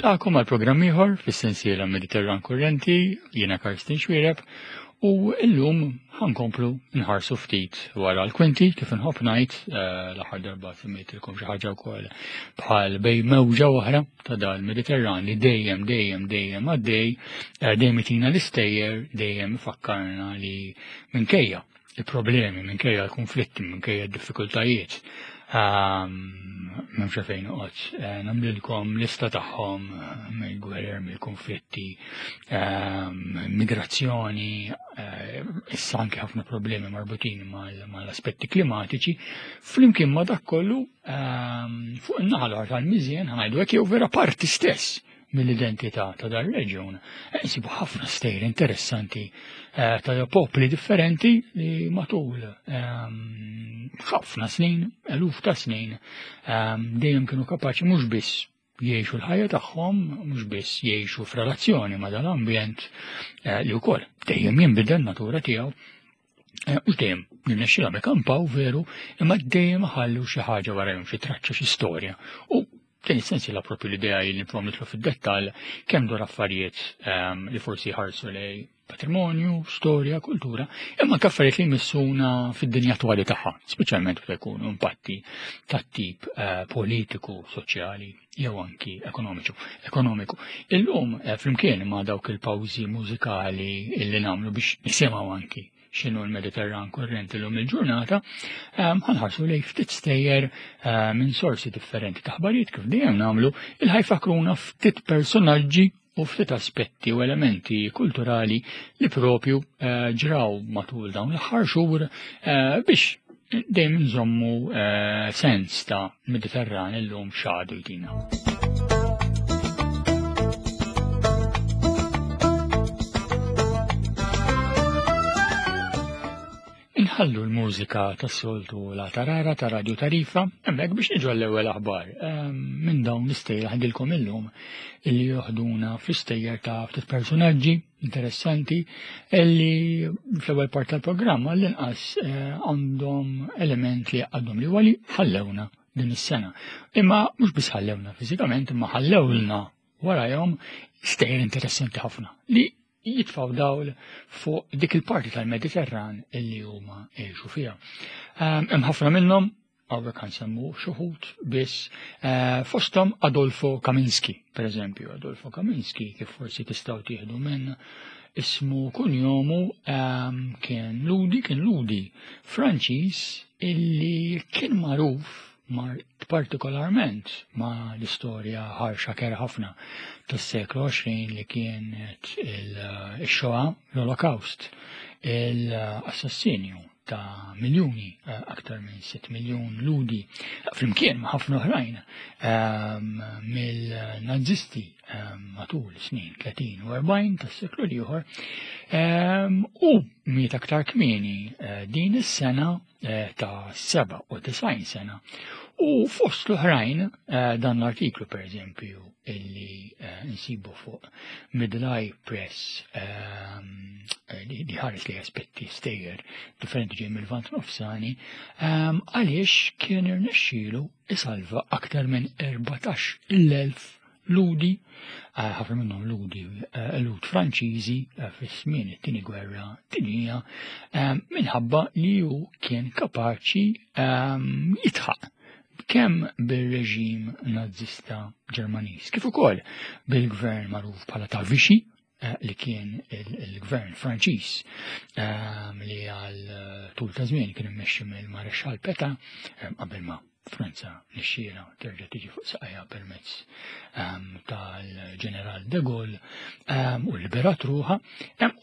Nilqakom għal programm ieħor fis-sensiela Mediterran Kurrenti, jiena Karsten Xwireb, u illum ħankomplu nħarsu ftit wara l-kwinti kif inħobb ngħid eh, l-aħħar darba semmejtilkom xi ħaġa wkoll bħal bej mewġa oħra ta' dal Mediterran li dejjem dejjem dejjem għaddej, eh, dejjem itina l-istejjer, dejjem ifakkarna li minkejja il-problemi, minkejja l-konflitti, minkejja d-diffikultajiet, ehm, m'hemmx fejn noqgħod eh, nagħmlilkom lista tagħhom eh, mill-gwerer, mill-konflitti, ehm, migrazzjoni, eh, issa anke ħafna problemi marbutin mal-aspetti klimatiċi, flimkien ma dak kollu ehm, fuq in-naħa l tal-miżien ħanajdu hekk jew vera parti stess mill-identità ta' dar reġjun, eh, nsibu ħafna stejjer interessanti eh, ta' popli differenti li matul ehm, ħafna snin, eluf ta' snin, ehm, dejjem kienu kapaċi mhux biss jgħixu l-ħajja tagħhom, mhux biss jgħixu f'relazzjoni ma' dal-ambjent eh, li wkoll dejjem jinbidel natura tiegħu, U dejjem nirnexxilhom ikampaw veru, imma dejjem ħallu xi ħaġa warajhom, xi traċċa, xi storja. U din is-sensiela propju l-idea li niprom nidħlu fid-dettall kemm dwar affarijiet ehm, li forsi jħarsu lej patrimonju, storja, kultura, imma anke affarijiet li jmissuna fid-dinja attwali tagħha, speċjalment meta jkunu impatti tat-tip eh, politiku, soċjali jew anki ekonomiċu, ekonomiku. Illum eh, flimkien ma' dawk il-pawżi mużikali illi nagħmlu biex nisimgħu anki x'inhu l-Mediterran kurrenti l-lum il-ġurnata, ehm, ħanħarsu lej ftit stejjer eh, minn sorsi differenti ta' ħbarijiet kif dejjem nagħmlu il-ħajfakruna ftit personaġġi u ftit aspetti u elementi kulturali li propju eh, ġraw matul dawn l-aħħar xhur biex dejjem nżommu eh, sens ta' Mediterran illum xadu jtina. Inħallu l-mużika tas-soltu la tarara ta' Radio Tarifa, hemmhekk biex niġu għall-ewwel aħbar ehm, minn dawn l-istejjer ħadilkom illum illi joħduna fl-istejjer ta' ftit personaġġi interessanti illi fl-ewwel part tal-programm għall-inqas eh, għandhom element li għadhom li għali ħallewna din is-sena. Imma mhux biss ħallewna fiżikament, imma ħallewlna warajhom stejjer interessanti ħafna li jitfaw dawl fuq dik il-parti tal-Mediterran illi huma għexu fiha. Ehm, hemm ħafna minnhom Hawnhekk nsemmu xuħut biss eh, fosthom Adolfo Kaminski, per eżempju, Adolfo Kaminski kif forsi tistgħu tieħdu minn ismu kunjomu ehm, kien Ludi, kien Ludi Franċiż illi kien magħruf mar partikolarment ma l-istorja ħarxa kera ħafna tas-seklu 20 li kienet il-Shoah, l-Olokawst, l-assassinju ta' miljuni, eh, aktar minn 6 miljun ludi, flimkien ma' ħafna oħrajn ehm, mill-nazisti ehm, matul snin 30 u 40 tas-seklu l-ieħor, ehm, u miet aktar kmieni eh, din is-sena eh, ta' 97 sena. U fost l-oħrajn dan l-artiklu per eżempju illi eh, nsibu fuq Middle Eye Press ehm, eh, li ħares li aspetti stejjer differenti ġej mill-Lvant Nofsani, ehm, għaliex kien irnexxielu isalva aktar minn 14,000 ludi, eh, ħafna minnhom ludi lud Franċiżi fis-żmien it-tieni gwerra dinjija, ehm, minħabba li hu kien kapaċi jitħaq kemm bir-reġim Nazzista Ġermaniż, kif ukoll bil-gvern magħruf bħala ta' Vichy, eh, li kien il-gvern Franċiż ehm, li għal eh, tul ta' żmien kien immexxi mill-Marexxall Peta ehm, qabel ma Franza nixxiela terġa' tiġi fuq saqajha permezz ehm, tal-ġeneral de Gaulle u liberat ruħa.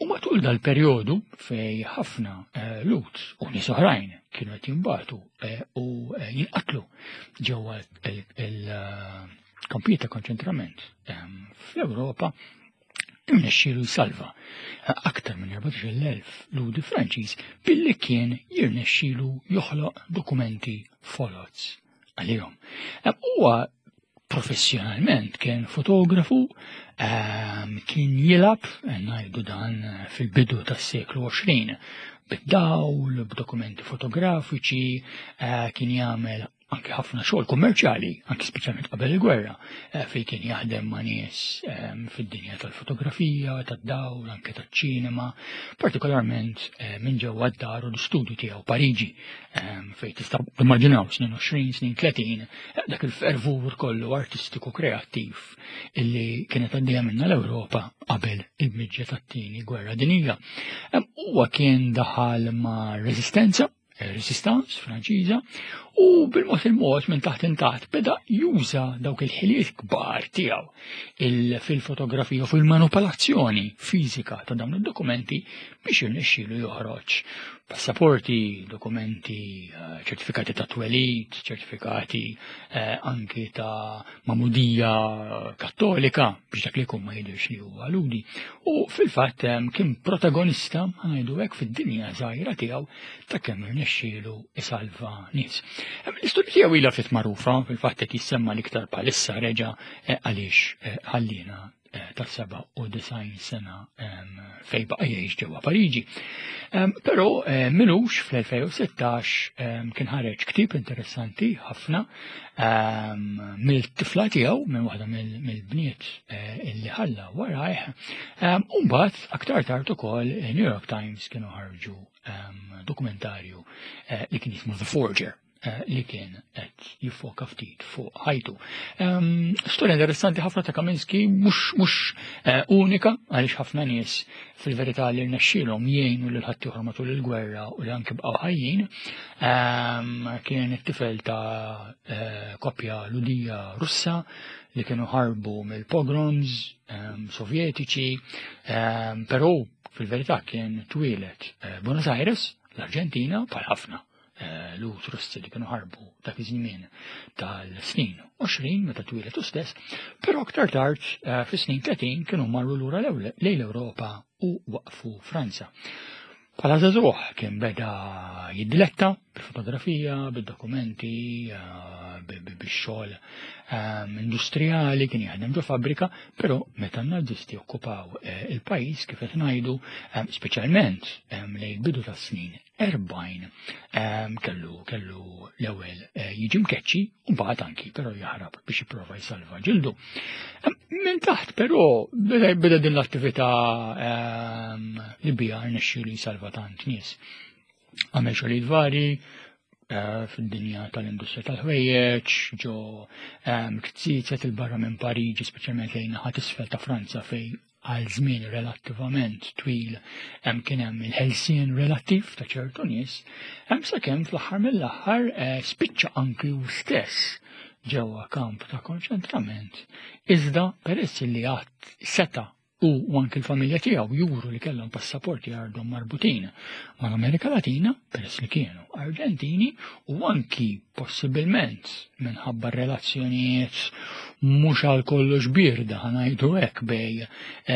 U matul dal-perjodu fej ħafna eh, lut u nies oħrajn kienu qed jinbatu eh, u eh, jinqatlu ġewwa il-kampijiet ta' konċentrament ehm, fl-Ewropa irnexxielu jsalva aktar minn 14,000 ludi Franċiż billi kien jirnexxielu joħloq dokumenti foloz għalihom. Ehm, huwa professjonalment kien fotografu, ehm, kien jilab, eh, ngħidu dan eh, fil-bidu tas-seklu 20, bid-dawl, b'dokumenti fotografiċi, eh, kien jagħmel anke ħafna xogħol kummerċjali, anke speċjalment qabel il-gwerra, eh, fejn kien jaħdem ma' nies ehm, fid-dinja tal-fotografija, tad-dawl, anke taċ-ċinema, partikolarment eh, minn ġewwa d-dar u l-istudju tiegħu Pariġi, ehm, fejn tista' timmaġinaw snin 20, snin 30, eh, dak il-fervur kollu artistiku kreattiv illi kienet għaddejja minna l-Ewropa qabel il-miġja tat-tieni gwerra dinjija. Ehm, huwa kien daħal ma' reżistenza Resistance Franċiża u bil-mod il-mod minn taħt intaħt beda juża dawk il-ħiliet kbar tiegħu fil-fotografija u fil-manipolazzjoni fiżika ta' dawn id-dokumenti biex jirnexxielu joħroġ passaporti, dokumenti, eh, ċertifikati ta' twelid, ċertifikati eh, anki ta' magħmudija kattolika biex dak li jkun ma jidhirx li huwa ludi. U fil-fatt kien protagonista ngħidu hekk fid-dinja żgħira tiegħu ta' kemm irnexxielu isalva nies. L-istorja tiegħu ilha ftit magħrufa, fil-fatt qed jissemma l-iktar bħalissa reġa' eh, għaliex eh, ħallina eh, ta' 97 sena fej baqa' jgħix ġewwa Pariġi. Però minux fl-2016 kien ħareġ ktieb interessanti ħafna mill-tifla tiegħu minn waħda mill-bniet eh, illi ħalla warajh. U mbagħad aktar tard ukoll New York Times kienu ħarġu dokumentarju eh, li kien jismu The Forger eh, li kien qed jiffoka ftit fuq ħajtu. Storja interessanti ħafna ta' Kaminski mhux eh, unika għaliex ħafna nies fil-verità li rnexxielhom jgħinu lil ħaddieħor matul il-gwerra u li anke bqgħu ħajjin. Kien it-tifel ta' eh, koppja Ludija Russa li kienu ħarbu mill-pogroms Sovjetiċi, però fil-verità kien twieled eh, Buenos Aires, l-Arġentina, bħal ħafna eh, l-ut Russi li kienu ħarbu dak iż-żmien tal-snin 20 meta twieled u stess, però aktar tard eh, fis-snin 30 kienu marru lura lejn l-Ewropa u waqfu Franza. Bħala żagħżugħ kien beda jiddiletta bil-fotografija, bid-dokumenti, eh, bix-xogħol ehm, industrijali, kien jaħdem ġo fabbrika, però meta n-Nazisti okkupaw eh, il-pajjiż kif qed ngħidu, ehm, speċjalment ehm, lejn bidu tas-snin 40 kellu kellu l-ewwel eh, jiġi mkeċċi u mbagħad anki però jaħrab biex jipprova jsalva ġildu. Minn taħt però beda din l-attività ehm, li bija rnexxielu jsalva tant nies. Għamel xogħlijiet vari, eh, fid-dinja tal-industrija tal-ħwejjeġ, ġo ehm, ktsizet il-barra minn Pariġi, speċjalment lejn naħa isfel ta' Franza fej għal żmien relattivament twil hemm kien hemm il-ħelsien relattiv ta' ċertu nies, hemm sakemm fl-aħħar mill-aħħar eh, spiċċa anki hu stess ġewwa kamp ta' konċentrament, iżda peress li għad seta' u anki l-familja tiegħu juru li kellhom passaporti għardhom marbutin mal-Amerika Latina, peress li kienu Arġentini, u anki possibilment minħabba relazzjonijiet mhux għal kollox bierda ħanajdu hekk bej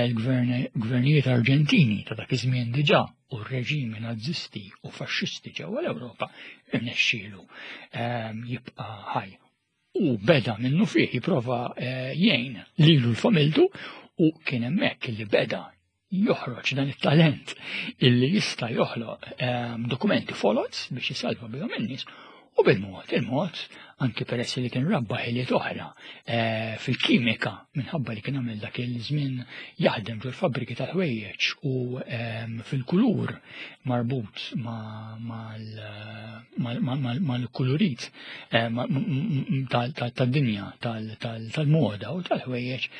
l-gvernijiet Arġentini ta' dak iż-żmien diġà u r-reġimi Nazisti u faxxisti ġewwa l-Ewropa irnexxielu ehm, jibqa' ħaj. U beda minnu fih jipprova eh, jgħin lilu l-familtu u kien hemmhekk li beda joħroġ dan it-talent illi jista' joħloq ehm, dokumenti folots biex jisalva bihom in-nies u bil-mod il-mod anki peress li kien rabba ħiliet oħra eh, fil-kimika minħabba li kien għamel dak il-żmien jaħdem ġol fabbriki tal-ħwejjeġ u ehm, fil-kulur marbut mal-kulurit eh, tad-dinja tal-moda u tal-ħwejjeġ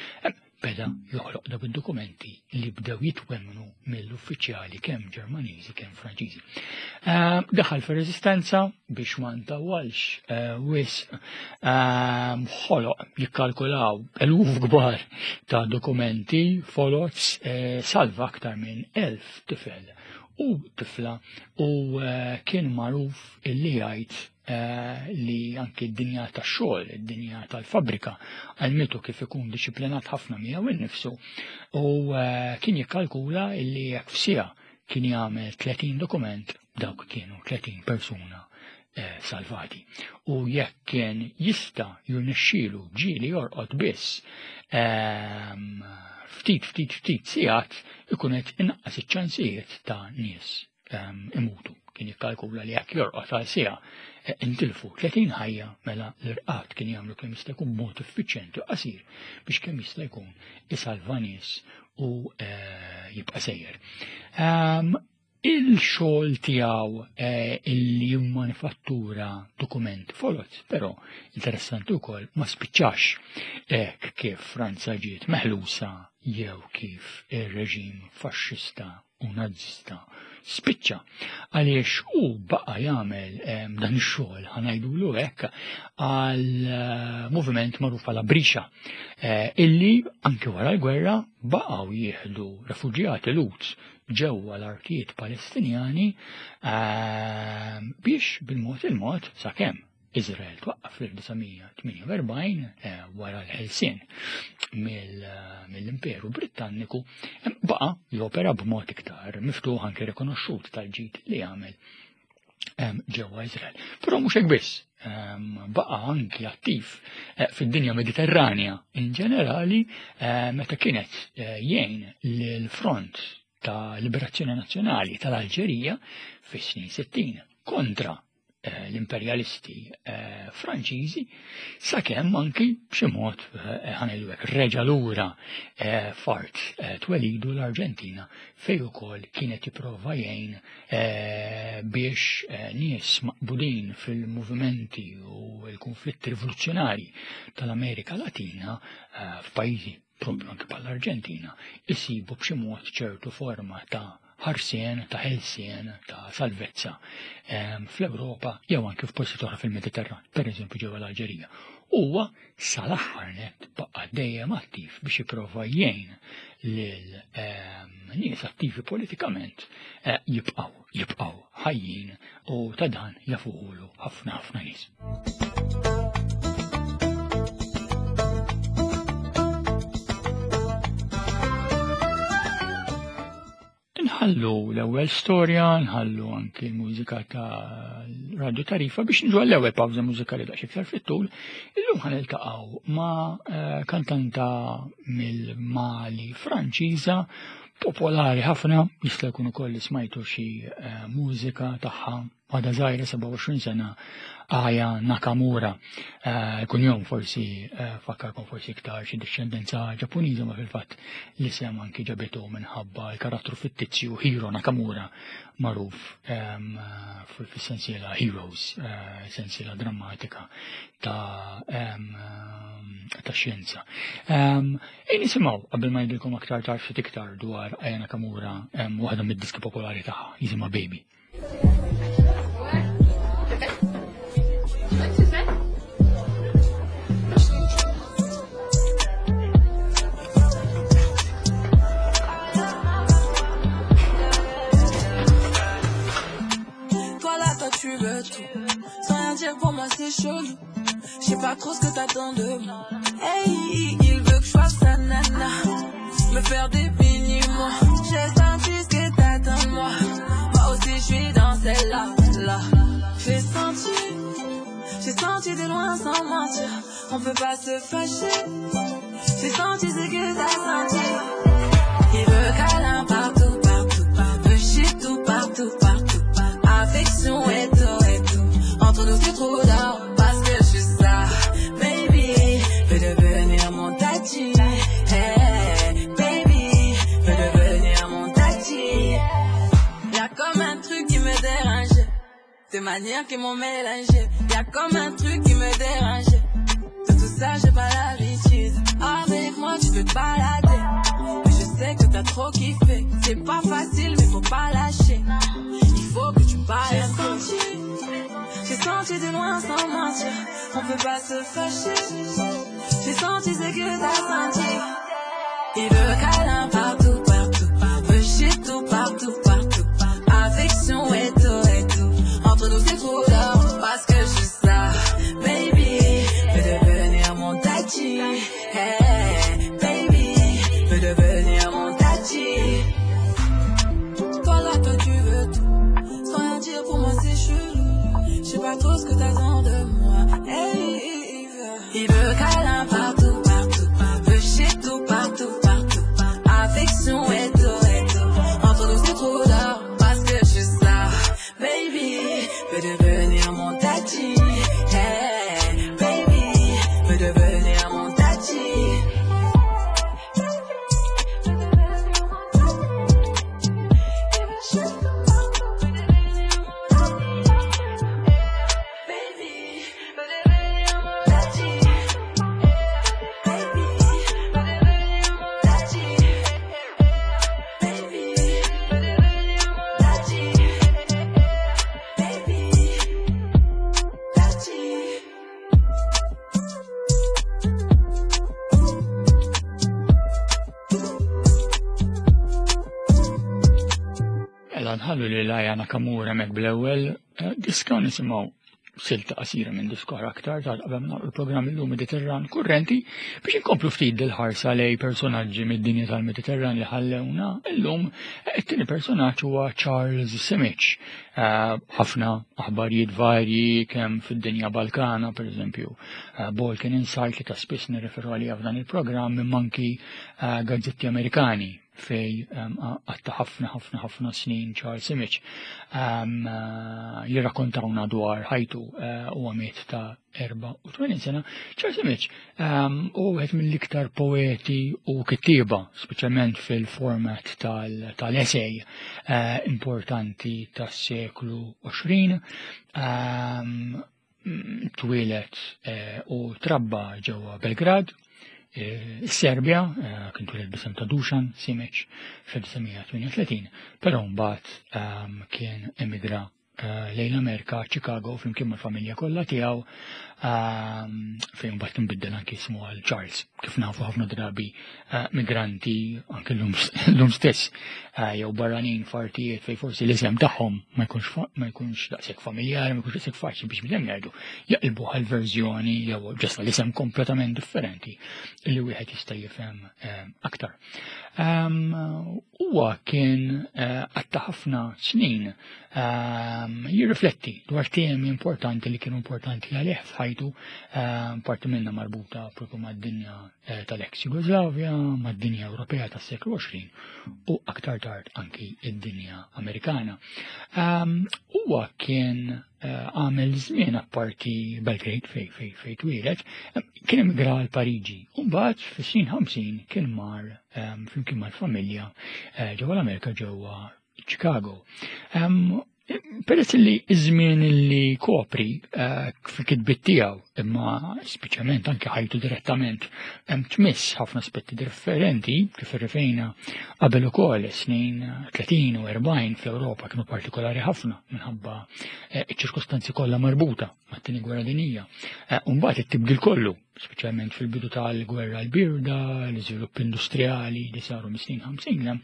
beda joħloq dawk id-dokumenti li bdew jitwemmnu mill-uffiċjali kemm Ġermaniżi kemm Franċiżi. Eh, daħal fir-reżistenza biex ma ntawwalx eh, wisq eh, ħoloq jikkalkulaw eluf kbar ta' dokumenti folots salva aktar minn 1000 tifel u tifla u kien magħruf illi jgħid Eh, li anki d-dinja tax-xogħol, id-dinja tal-fabbrika, għalmitu kif ikun disciplinat ħafna miegħu innifsu u eh, kien jikkalkula illi jekk f'sija kien jagħmel 30 dokument dawk kienu 30 persuna eh, salvati. U jekk kien jista' jirnexxielu ġieli jorqod biss ehm, ftit ftit ftit sigħat ikun qed inaqqas iċ-ċansijiet ta' nies ehm, imutu. Kien jikkalkula li jekk jorqod għal siegħa eh, intilfu 30 ħajja mela l-irqad kien jagħmlu kemm jista' jkun mod effiċjenti u qasir biex kemm jista' jkun isalva nies u eh, jibqa' sejjer. Ehm, il-xogħol tiegħu eh, illi jimmanifattura dokument foloz, però interessanti wkoll ma spiċċax hekk kif Franza ġiet meħlusa jew kif ir-reġim faxxista u nazzista spiċċa għaliex u baqa jagħmel ehm, dan ix-xogħol ħanajdulu hekk għal eh, moviment magħruf bħala Brixa eh, illi anke wara l-gwerra baqgħu jieħdu refuġjati Lut ġewwa l-artijiet Palestinjani ehm, biex bil-mod il-mod sakemm Izrael twaqqaf fl-1948 eh, wara l-ħelsien mill-Imperu Brittanniku baqa jopera b'mod iktar miftuħ anke rikonoxxut tal-ġid li jagħmel ġewwa Izrael. Però mhux hekk biss, baqa anki attiv eh, fid-dinja Mediterranja in ġenerali eh, meta kienet jgħin lill-Front ta' Liberazzjoni Nazzjonali tal-Alġerija fis-snin 60 kontra Eh, l-imperjalisti eh, Franċiżi sakemm anki b'xi mod eh, ħanejdu hekk reġa' lura fart twelidu l-Arġentina fejn ukoll kienet jipprova jgħin biex nies maqbudin fil-movimenti u l-konflitti rivoluzzjonari tal-Amerika Latina f'pajjiżi propju anki bħall-Arġentina, isibu b'xi mod ċertu forma ta' ħarsien, ta' ħelsien, ta' salvezza ehm, fl-Ewropa jew anki f'postijiet oħra fil-Mediterran, pereżempju ġewwa l-Alġerija. Huwa sal-aħħar net baqa' dejjem attiv biex jipprova jgħin lil ehm, nies attivi politikament eh, jibqgħu jibqgħu ħajjin u ta' dan jafuhulu ħafna ħafna nies. Nħallu l-ewwel storja, nħallu anki l-mużika ta' Radio Tarifa biex nġu għall-ewwel pawża mużikali daqs iktar fit-tul. Illum ħan iltaqgħu ma' eh, kantanta mill-Mali Franċiża popolari ħafna, jista' jkun ukoll li smajtu xi eh, mużika tagħha għadha żgħira 27 sena Aya Nakamura. Eh, kunjom forsi eh, fakkarkom forsi iktar xi dixxendenza Ġappuniża ma fil-fatt l-isem anki ġabitu minħabba l-karattru fittizju Hiro Nakamura magħruf ehm, fis-sensiela Heroes, sensiela drammatika ta' ehm, ta' xjenza. Ehm, Ejn nisimgħu qabel ma ngħidilkom aktar tard ftit iktar dwar Aya Nakamura waħda mid-diski popolari tagħha jisimha Baby. Toi là, toi tu veux tout. Sans rien dire pour moi c'est chelou. Je sais pas trop ce que t'attends de moi. Hey, il veut que je fasse sa nana. Me faire des mini-mois. J'ai senti ce que t'attends de moi. Moi aussi je suis dans celle-là. Là. J'ai senti, j'ai senti de loin sans mentir. On peut pas se fâcher. J'ai senti ce que t'as senti. Il veut câlin partout, partout, partout. Veut chier tout, partout, partout. Affection et tout, et tout. Entre nous c'est trop d'or. Parce que je suis ça, baby. Veux devenir mon tati. Hey, baby. Veux devenir mon tati. Y'a comme un truc qui me dérange. Tes manières qui m'ont mélangé. Y'a comme un truc qui me dérange. De tout ça, j'ai pas l'habitude. Avec moi, tu peux te balader. Mais je sais que t'as trop kiffé. C'est pas facile, mais faut pas lâcher. Il faut que tu parles. J'ai senti, j'ai senti de loin sans mentir. On peut pas se fâcher. J'ai senti ce que t'as senti. Il veut câlin partout, partout. Veut chier tout, partout, partout. Affection et tout, et tout. Entre nous c'est trop d'or. Parce que je suis ça, baby. Veux devenir mon tati. Hey, baby. Veux devenir mon tati. Toi là, toi tu veux tout. Sans rien dire pour moi c'est chelou. Je sais pas trop ce que t'attends de moi. Hey, il veut câlin partout, partout. Veut chier tout, partout, partout. Affection. Mela nħallu li Aya Nakamura mek bl-ewwel eh, diska nisimgħu silta qasira minn diskor aktar tard qabel nagħlqu l-programm illum Mediterran kurrenti biex inkomplu ftit dil-ħarsa lej personaġġi mid-dinja tal-Mediterran li ħallewna illum eh, it-tieni personaġġ huwa Charles Simic. Eh, ħafna aħbarijiet varji kemm fid-dinja Balkana, pereżempju, Balkan Insight li ta' spiss nirreferu għalija f'dan il-programm imma anki gazzetti Amerikani fej għatta ħafna ħafna ħafna snin Charles Simic eh, jirrakkontawna dwar ħajtu eh, u għamiet ta' 84 sena. Charles Simic u għed mill-iktar poeti u kittieba, speċjalment fil-format tal-essay eh, importanti tas-seklu 20. Twieled u trabba ġewwa Belgrad, is-Serbja, kien twieled b'isem ta' Dušan Simic fl-1938, però mbagħad kien emigra lejn l-Amerika, Chicago, flimkien mal-familja kollha tiegħu, fejn mbagħad inbiddel anki ismu għal Charles, kif nafu ħafna drabi migranti anke l-lum stess jew barranin f'artijiet fejn forsi l-isem tagħhom ma jkunx ma jkunx daqshekk familjari, ma jkunx daqshekk faċli biex bidem jgħidu jaqilbu għal verżjoni jew ġesta l-isem kompletament differenti li wieħed jista' jifhem aktar. Huwa kien għatta ħafna snin jirrifletti dwar temi importanti li kienu importanti għalih f'ħajtu, parti minna marbuta propju mad-dinja eh, tal-ex Jugoslavja, mad-dinja Ewropea tas-seklu 20 u aktar tard anki id-dinja Amerikana. Huwa kien eh, għamel żmien apparti Belgrade fej fej fej twieled, kien emigra għal Pariġi. U mbagħad fis-snin 50 kien mar flimkien mal-familja eh, ġewwa l-Amerika ġewwa Chicago. Peress li iż-żmien li kopri eh, fil-kitbit tiegħu, imma speċjalment anke ħajtu direttament, hemm tmiss ħafna aspetti differenti kif irrifejna qabel ukoll snin 30 u 40 fl-Ewropa kienu partikolari ħafna minħabba eh, ċ-ċirkostanzi kollha marbuta mat-tieni gwerra dinjija. Eh, u mbagħad it-tibdil kollu speċjalment fil-bidu tal-gwerra l-birda, l-iżvilupp industrijali li saru mis-snin 50,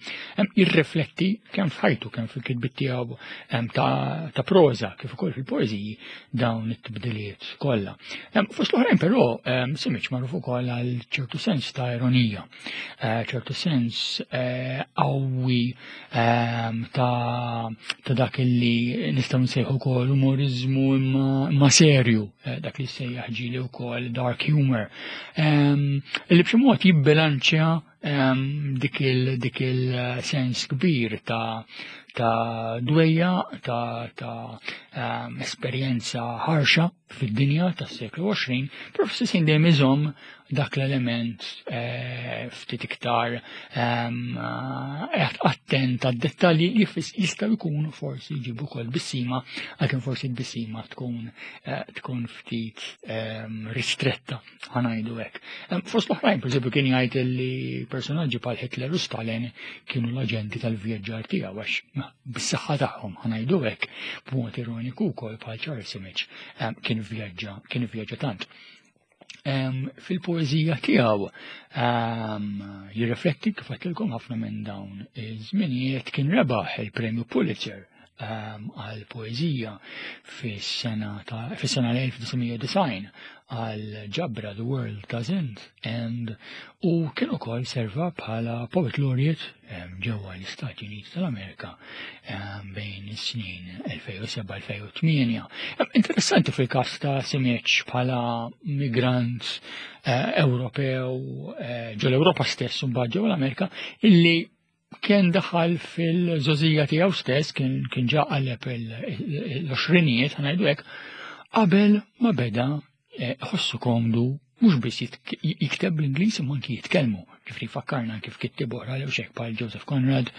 jirrifletti kemm f'ħajtu, kemm fil-kitbit tiegħu ta' proża, kif ukoll fil-poeżiji dawn it-tibdiliet kollha. Fost l-oħrajn però Simic magħruf ukoll għal ċertu sens ta' ironija, eh, ċertu sens eh, qawwi ta' dak li nistgħu nsejħu wkoll umoriżmu imma serju, eh, dak li sejjaħ ġieli wkoll dark humor, li b'xi mod jibbilanċja dik il il-sens kbir ta' ta' dwejja, ta' ta' esperjenza ħarxa fid-dinja tas-seklu 20, però fl-istess ħin dejjem iżomm dak l-element eh, ftit iktar ehm, eh, attent għad-dettalji li jistgħu jkunu forsi jġibu wkoll bissima, għalkemm forsi l-bissima tkun eh, tkun ftit ehm, ristretta ħanajdu hekk. Ehm, fost l-oħrajn, pereżempju, kien jgħid li personaġġi bħal Hitler u Stalin kienu l-aġenti tal-vjaġġar tiegħu għax bis-saħħa tagħhom ħanajdu hekk b'mod ironiku wkoll bħal Charles Simic kien vjaġġa kien vjaġġa tant. Fil-poeżija tiegħu jirrifletti kif għedtilkom ħafna minn dawn iż-żminijiet kien rebaħ il-Premju Pulitzer għal poeżija fis-sena fis-sena 1990 għal ġabra The World Doesn't End u kien ukoll serva bħala Poet Laureate ġewwa l-Istati Uniti tal-Amerika bejn is-snin 2007-2008. Interessanti fil-każ ta' Simic bħala migrant eh, Ewropew eh, ġo l-Ewropa stess u mbagħad ġewwa l-Amerika illi kien daħal fil-żożija tiegħu stess, kien kien ġa qaleb l-għoxrinijiet, ħanajdu hekk, qabel ma beda eh, ħossu komdu mhux biss jikteb bl-Ingliż imma anki jitkellmu. Ġifri fakkarna kif kittib oħra li xek bħal Joseph Conrad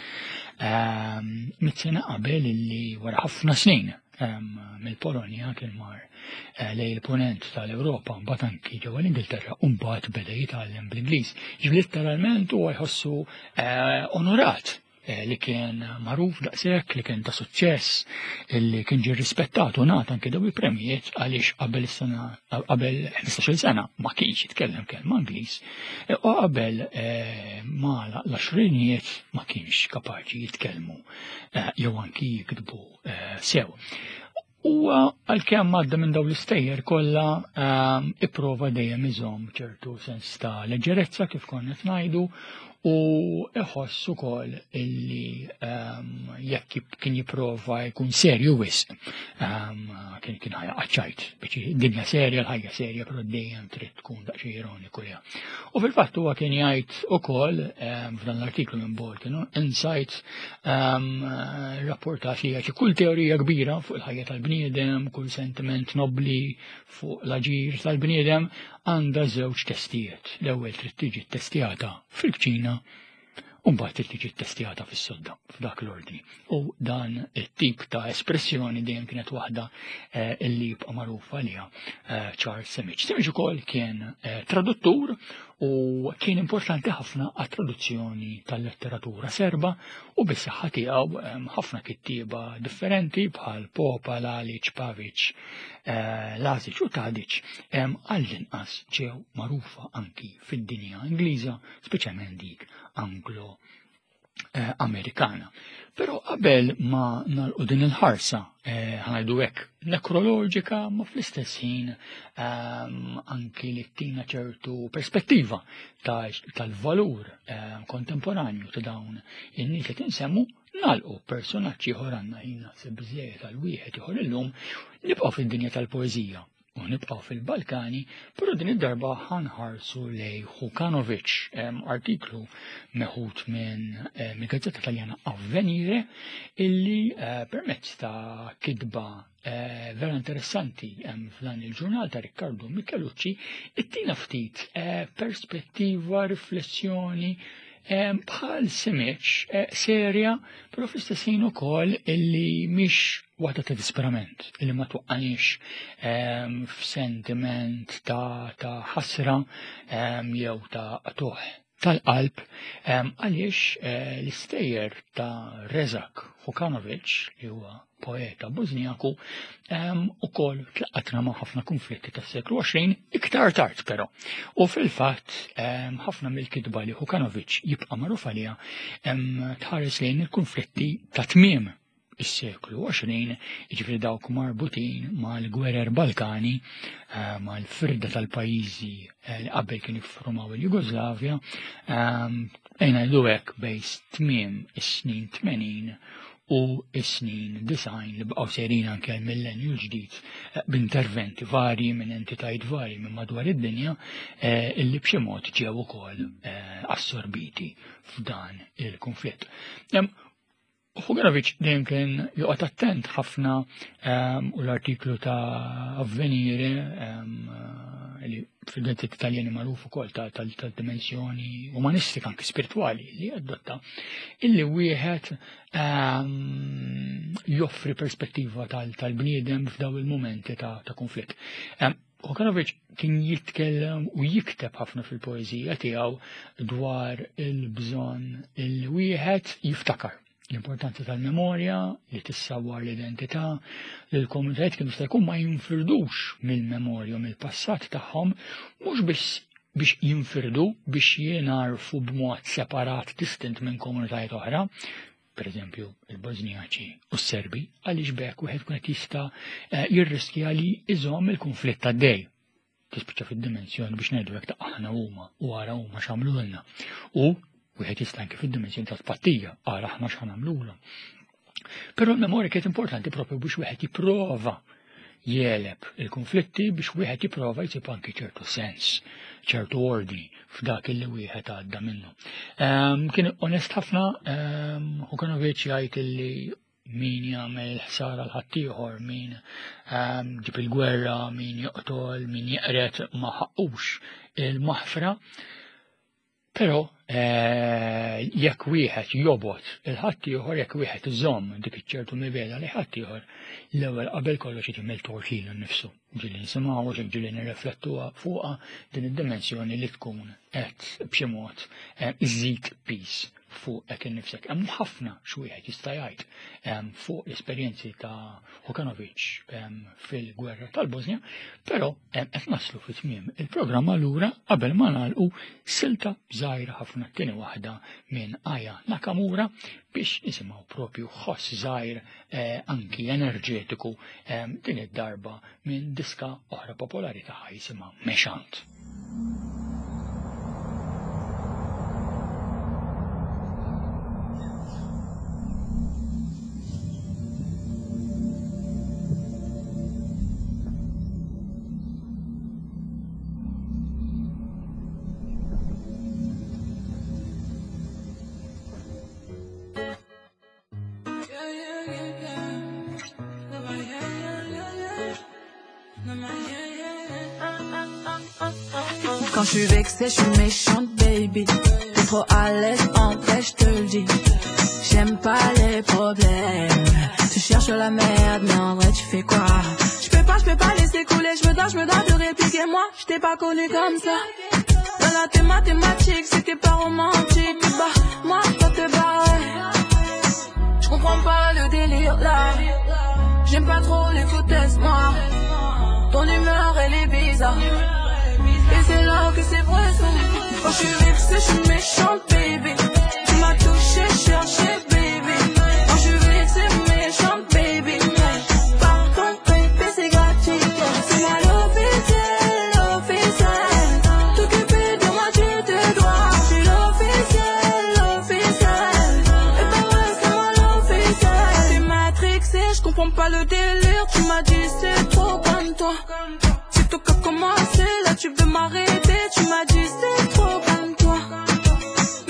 ehm, mit-sena qabel illi wara ħafna snin ehm, mill-Polonja kien mar eh, lej il-ponent tal-Ewropa mbagħad anki ġewwa l-Ingilterra u mbagħad beda jitgħallem bl-Ingliż. Ġifri letteralment huwa jħossu eh, onorat. li kien magħruf daqshekk, li kien ta' suċċess, li kien ġie rispettat u ngħata anke daw il-premijiet għaliex qabel is-sena qabel 15-il sena ma kienx jitkellem kelma Ingliż u qabel ma l-għaxrinijiet ma kienx kapaċi jitkellmu jew anki jiktbu sew. U għalkemm għadda minn dawn l-istejjer kollha ipprova dejjem iżomm ċertu sens ta' leġġerezza kif konna qed ngħidu u iħoss ukoll illi jekk kien jipprova jkun serju wisq kien kien ħajja ċajt biex dinja serja l-ħajja serja però dejjem trid tkun daqsxejn ironiku liha. U fil-fatt huwa kien jgħid ukoll f'dan l-artiklu minn Balkan Insights rapportat li jgħid kull teorija kbira fuq il-ħajja tal-bniedem, kull sentiment nobli fuq l-aġir tal-bniedem għandha żewġ testijiet. L-ewwel trid tiġi ttestjata fil-kċina u mbagħad trid tiġi ttestjata fis-sodda f'dak l-ordni. U dan it-tip ta' espressjoni dejjem kienet waħda illi jibqa' magħruf għaliha Charles Simic. Simic ukoll kien traduttur u kien importanti ħafna għat-traduzzjoni tal-letteratura serba u bis-saħħa tiegħu ħafna kittieba differenti bħal Popa, Lalic, Pavic, Lazic u Tadic għall-inqas ġew magħrufa anki fid-dinja Ingliża, speċjalment dik Anglo Amerikana. Però qabel ma nagħlqu din il-ħarsa, ħanajdu hekk nekroloġika, ma fl-istess ħin anki li tina ċertu perspettiva tal-valur kontemporanju ta' dawn in-nies li tinsemmu, nagħlqu personaġġ ieħor għandna ħin naħseb biżejjed għal wieħed ieħor illum, nibqgħu fid-dinja tal-poeżija u nibqgħu fil-Balkani, però din id-darba ħanħarsu lej Hukanovic, artiklu meħud minn mill-gazzetta Taljana Avvenire, illi permezz ta' kitba vera interessanti f'dan il-ġurnal ta' Riccardo Michelucci, ittina ftit perspettiva, riflessjoni bħal Simic serja, però fl-istess ħin ukoll illi mhix waħda ta' disperament, illi ma twaqqanix f'sentiment ta' ħasra jew ta' qtuħ tal-qalb, għaliex l-istejjer ta' Rezak Hukanovic, li huwa poeta Bosniaku, ukoll tlaqqatna ma' ħafna konflitti tas-seklu 20, iktar tard però. U fil-fatt ħafna mill-kitba li Hukanovic jibqa' magħruf għaliha tħares lejn il-konflitti ta' tmiem is-seklu 20, jiġifieri dawk marbutin mal-gwerer Balkani, mal-firda tal-pajjiżi li qabel kienu jiffurmaw il-Jugoslavja, ejna ngħidu hekk bejn tmiem is-snin 80 u s-snin 90 li baqgħu sejrin anke għall-millenju l-ġdid b'interventi varji minn entitajiet varji minn madwar id-dinja illi b'xi mod ġew ukoll assorbiti f'dan il-konflitt. Hukanovic dejjem kien joqgħod attent ħafna u l-artiklu ta' Avvenire li fil-gazzetta Italjani magħruf ukoll tal-dimensjoni umanistika anke spiritwali li adotta, illi wieħed joffri perspettiva tal-bniedem f'daw il-momenti ta' konflitt. Hukanovic kien jitkellem u jikteb ħafna fil-poeżija tiegħu dwar il-bżonn illi wieħed jiftakar l-importanza tal-memorja, li tissawwar l-identità, li l-komunitajiet kienu jista' jkun ma jinfirdux mill-memorja u mill-passat tagħhom, mhux biss biex jinfirdu, biex jingħarfu b'mod separat distint minn komunitajiet oħra, per eżempju il-Bosniaċi u s-Serbi, għaliex b'hekk wieħed kun qed jista' jirriskja li iżomm il-konflitt għaddej. Tispiċċa fid-dimensjoni biex ngħidu hekk ta' aħna huma u ara huma x'għamlulna. U wieħed jista' anke fid-dimensjoni ta' tpattija, ara aħna x'għamlulhom. Però l-memorja kienet importanti propju biex wieħed jipprova jeleb il-konflitti, biex wieħed jipprova jsib anki ċertu sens, ċertu ordni f'dak illi wieħed għadda minnu. Kien onest ħafna, Hukanovic jgħid illi min jagħmel ħsara l ħaddieħor, min ġib il-gwerra, min joqtol, min jeqred ma ħaqqux il-maħfra. Però jekk wieħed jobgħod il-ħaddieħor, jekk wieħed iżomm dik iċ-ċertu mibegħda li ħaddieħor, l-ewwel qabel kollox jagħmel tort lilu nnifsu. Ġieli nisimgħu, ġieli nirriflettuha fuqha din id-dimensjoni li tkun qed b'xi mod iżid peace. Fuqek innifsek. Hemm ħafna x'wieħed jista' jgħid fuq l-esperjenzi ta' Hukanovic fil-gwerra tal-Bosnia, però qed naslu fi tmiem il-programm allura qabel ma nagħlqu silta żgħira ħafna tieni waħda minn Aya Nakamura biex nisimgħu propju ħoss żgħir eh, anki enerġetiku din id-darba minn diska oħra popolari tagħha jisimha Mexant. Quand je suis vexée, je suis méchante, baby. T'es trop à l'aise, en vrai, je te le dis. J'aime pas les problèmes. Tu cherches la merde, mais en vrai, tu fais quoi? Je peux pas, je peux pas laisser couler, je me dois, je me dois de répliquer. Moi, je t'ai pas connu comme ça. Dans la tes mathématiques, c'était pas romantique. Bah, moi, je te barrer. Je comprends pas le délire là. J'aime pas trop les foutaises, moi. Ton humeur, elle est bizarre. Et c'est là que c'est vrai, ça. Quand je suis vexée, je suis méchante, baby. Tu m'as touché, cherché, baby. Quand je suis vexée, méchante, baby. Pardon, baby, c'est gratuit. C'est moi l'officiel, l'officiel. T'occuper de moi, tu te dois. Je suis l'officiel, l'officiel. Et pas vrai, c'est moi l'officiel. T'es matrixé, je comprends pas le délire. Tu m'as dit c'est trop comme toi. C'est toi qui as commencé, là tu veux m'arrêter. Tu m'as dit c'est trop comme toi.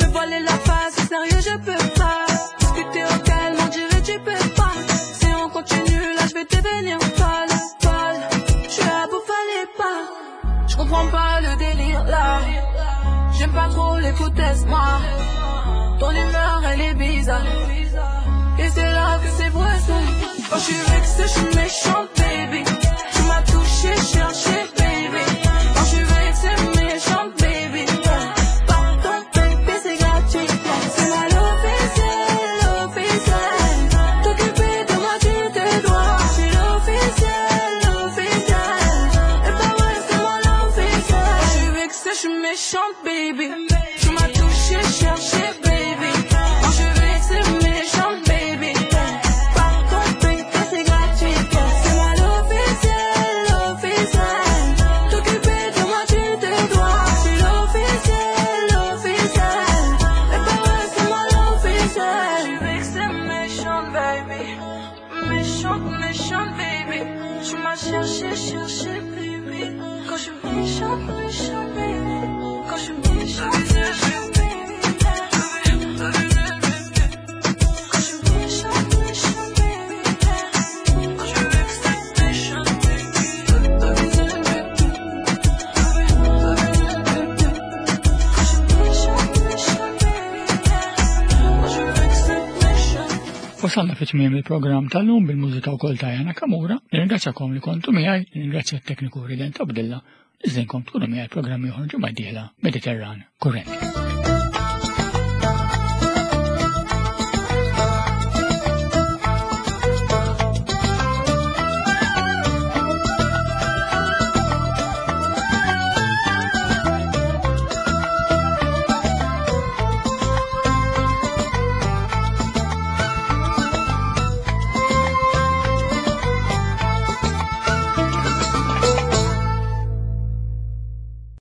Me voiler la face, sérieux je peux pas. Discuter au calme, on dirait tu peux pas. Si on continue, là je vais devenir folle, folle. Je suis là pour fallait pas. Je comprends pas le délire là. J'aime pas trop les foutaises, moi. Ton humeur elle est bizarre. Et c'est là que c'est vrai ça. Quand je suis vexée, je suis méchante, baby. Tu m'as touché, cherché, baby. Quand je suis vexée, méchante, baby. Pardon, baby, c'est gratuit. C'est moi l'officiel, l'officiel. T'occuper de moi, tu te dois. Je suis l'officiel, l'officiel. Et pas vrai, c'est moi l'officiel. Quand je suis vexée, je suis méchante, baby. Tu m'as touché, cherché, baby. Quand je suis vexée, méchante, baby. Pardon, baby, c'est gratuit. C'est moi l'officiel, l'officiel. T'occuper de moi, tu te dois. Je suis l'officiel, l'officiel. Et pas vrai, c'est moi l'officiel. Je suis vexée, méchante, baby. Méchante, méchante, baby. Tu m'as cherché, cherché, baby. Quand je suis méchante, méchante, baby. Quand je suis méchante, méchante, baby. Quand je suis méchante, méchante, baby. Quand je suis vexée, méchante, baby. Quand je suis méchante, méchante, baby. Quand je suis vexée, méchante. Wasalna fi tmiem il-programm tal-lum bil-mużika wkoll ta' Jana Kamura. Nirringrazzjakom li kontu miegħi, nirringrazzja t-tekniku Rident Abdilla, niżinkom tkunu miegħi programm ieħor ġimgħa d-dieħla Mediterran Kurrent.